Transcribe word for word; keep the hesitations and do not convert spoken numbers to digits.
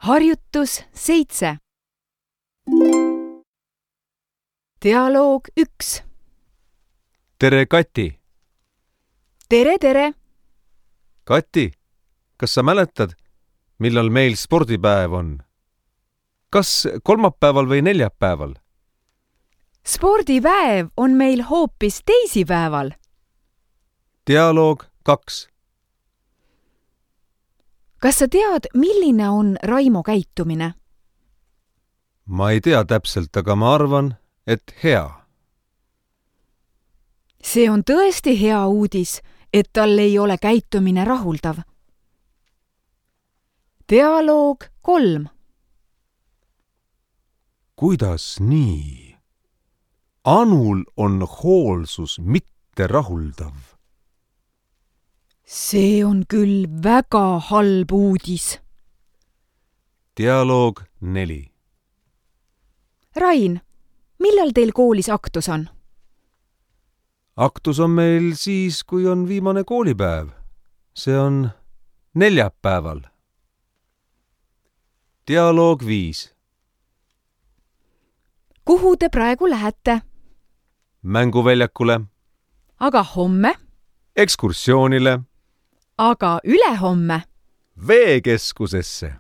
Harjutus seitse. Dialoog üks. Tere, Kati! Tere, tere! Kati, kas sa mäletad, millal meil spordipäev on? Kas kolmapäeval või neljapäeval? Spordipäev on meil hoopis teisipäeval. Dialoog kaks. Kas sa tead, milline on Raimo käitumine? Ma ei tea täpselt, aga ma arvan, et hea. See on tõesti hea uudis, et tal ei ole käitumine rahuldav. Dialoog kolm. Kuidas nii? Anul on hoolsus mitte rahuldav. See on küll väga halb uudis. Dialoog neli. Rain, millal teil koolis aktus on? Aktus on meil siis, kui on viimane koolipäev. See on neljapäeval. Dialoog viis. Kuhu te praegu lähete? Mänguväljakule. Aga homme? Ekskursioonile. Aga ülehomme? Veekeskusesse.